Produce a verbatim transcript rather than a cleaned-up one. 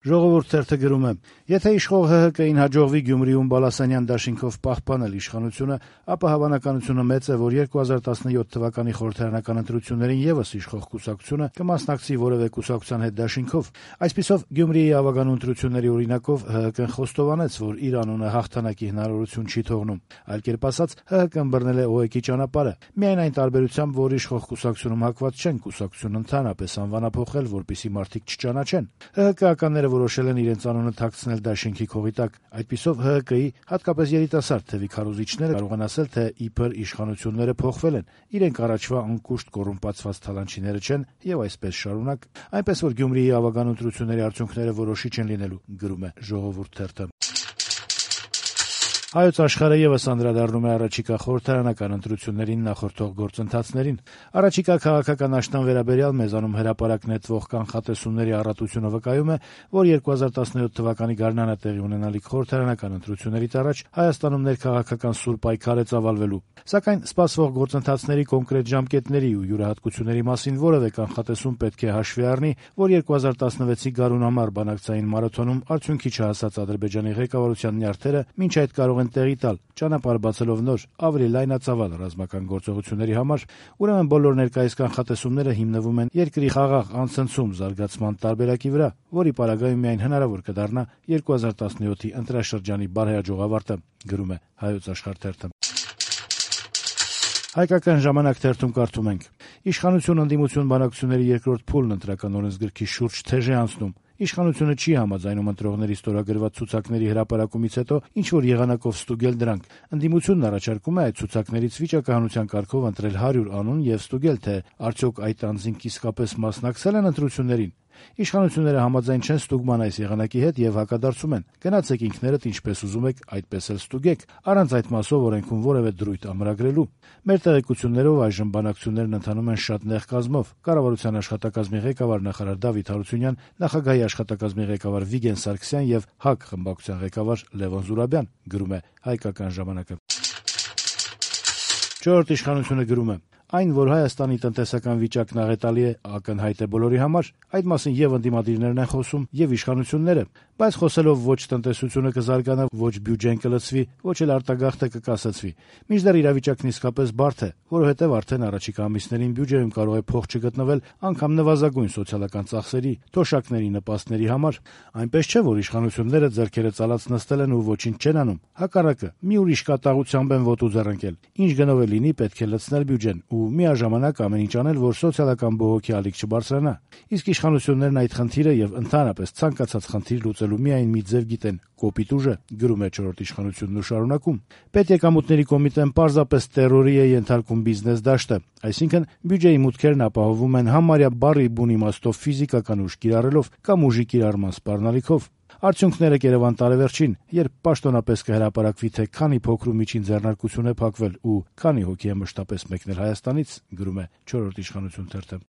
Ժողովուրդ թերթը գրում է. «Եթե իշխող ՀՀԿ-ին հաջողվի Գյումրիում Բալասանյան դաշինքով պահպանել իշխանությունը, ապա հավանականությունը մեծ է, որ երկու հազար տասնյոթ թվականի խորհրդարանական ընտրություններին եւս իշխող կուսակցությունը կմասնակցի որեւէ կուսակցության հետ դաշինքով։ Այսպիսով Գյումրիի ավագանու ընտրությունների օրինակով ՀՀԿ-ն խոստովանեց, որ իր անունը հաղթանակի հնարավորություն չի թողնում։ Այլ կերպ ասած, ՀՀԿ-ն բռնել է ՕԵԿ-ի ճանապարհը։ Միայն այն տարբերությամբ, որ իշխող կուսակցությունում հակված չեն կուսակցությունը ընդհանրապես անվանափոխել, որպեսզի մարդիկ չճանաչեն։ ՀՀԿ-ականները որոշել են իրենց անունը թաքցնել դաշինքի քողի տակ։ Այդպիսով ՀՀԿ-ի, հատկապես երիտասարդ թևի քարոզիչները կարող են ասել, թե իբր իշխանությունները փոխվել են, իրենք առաջվա անկուշտ կոռումպացված թալանչիները չեն եւ այսպես շարունակ, այնպես որ Գյումրիի ավագան ընտրությունների արդյունքները որոշիչ են լինելու», գրում է Ժողովուրդ թերթը։ Հայոց Աշխարհը եւս անդրադառնում է առաջիկա խորհրդարանական ընտրություններին նախորդող գործընթացներին։ Առաջիկա քաղաքական աշնան վերաբերյալ մեզանում հրապարակ նետվող կանխատեսումների առատությունը վկայում է, որ երկու հազար տասնյոթ թվականի գարնանը տեղի ունենալիք խորհրդարանական ընտրություններից առաջ Հայաստանում ներքաղաքական սուր պայքար է ծավալվելու։ Սակայն սպասվող գործընթացների կոնկրետ ժամկետների ու յուրահատկությունների մասին որևէ կանխատեսում պետք է հաշվի առնի, որ երկու հազար տասնվեցի գարուն համար բանակցային մարաթոնում արդյունքի չհասած Ադրբեջանի ղեկավարության նյարդերը մինչ այդ կարող են տեղի տալ, ճանապարհ բացելով նոր, ավելի լայնածավալ ռազմական գործողությունների համար, ուրեմն բոլոր ներկայիս կանխատեսումները հիմնվում են երկրի խաղաղ անցնցում զարգացման տարբերակի վրա, որի պարագայում միայն հնարավոր կդառնա երկու հազար տասնյոթի ընտրաշրջանի բարեհաջող ավարտը, գրում է Հայոց Աշխարհ թերթը։ Հայկական ժամանակ թերթում կարդում ենք. «Իշխանություն ընդդիմություն բանակցությունների երկրորդ փուլն ընտրական օրենսգրքի շուրջ թեժ է անցնում։ Իշխանությունը չի համաձայնում ընտրողների ստորագրված ցուցակների հրապարակումից հետո ինչ-որ եղանակով ստուգել դրանք։ Ընդդիմությունն առաջարկում է այդ ցուցակներից վիճակահանության կարգով ընտրել հարյուր անուն եւ ստուգել, թե արդյոք այդ անձինք իսկապես մասնակցել են ընտրություններին։ Իշխանությունները համաձայն չեն ստուգման այս եղանակի հետ եւ հակադարձում են. գնացեք ինքներդ ինչպես ուզում եք, այդպես էլ ստուգեք, առանց այդ մասով օրենքում որևէ դրույթ ամրագրելու։ Մեր տեղեկություններով այժմ բանակցություններն ընթանում են շատ նեղ կազմով։ Կառավարության աշխատակազմի ղեկավար նախարար Դավիթ Հարությունյան, նախագահի աշխատակազմի ղեկավար Վիգեն Սարգսյան եւ ՀԱԿ խմբակցության ղեկավար Լևոն Զուրաբյան, գրում է Հայկական ժամանակը։ Չորրորդ իշխանությունը գրում է. «Այն, որ Հայաստանի տնտեսական վիճակն աղետալի է, ակնհայտ է բոլորի համար, այդ մասին եւ ընդդիմադիրներն են խոսում, եւ իշխանությունները, բայց խոսելով ոչ տնտեսությունը կզարգանա, ոչ բյուջեն կլցվի, ոչ էլ արտագաղթը կկասեցվի։ Մինչդեռ իրավիճակն իսկապես բարդ է, որովհետեւ արդեն առաջիկա ամիսներին բյուջեում կարող է փող չգտնվել անգամ նվազագույն սոցիալական ծախսերի, թոշակների նպաստների համար։ Այնպես չէ, որ իշխանությունները ձեռքերը ծալած նստել են ու ոչինչ չեն անում։ Հակառակը, մի ուրիշ կատաղությամբ են ոտու ձեռնկել։ Ինչ գնով է լինի, պետք է լցնել բյուջեն ու միաժամանակ ամեն ինչ անել, որ սոցիալական բողոքի ալիք չբարձրանա։ Իսկ իշխանություններն այդ խնդիրը եւ ընդհանրապես ցանկացած խնդիր լուծելու միայն մի ձև գիտեն՝ կոպիտ ուժը», գրում է չորրորդ իշխանությունն ու շարունակում. «Պետեկամուտների կոմիտեն պարզապես տերորի է ենթարկում բիզնես դաշտը, այսինքն բյուջեի մուտքերն ապահովում են համարյա բառի բուն իմաստով ֆիզիկական ուժ կիրառելով կամ ուժի կիրառման սպառնալիքով։ Արդյունքները կերևան տարեվերջին, երբ պաշտոնապես կհրապարակվի, թե քանի փոքր ու միջին ձեռնարկություն է փակվել ու քանի հոգի է մշտապես մեկնել Հայաստանից», գրում է չորրորդ իշխանություն թերթը։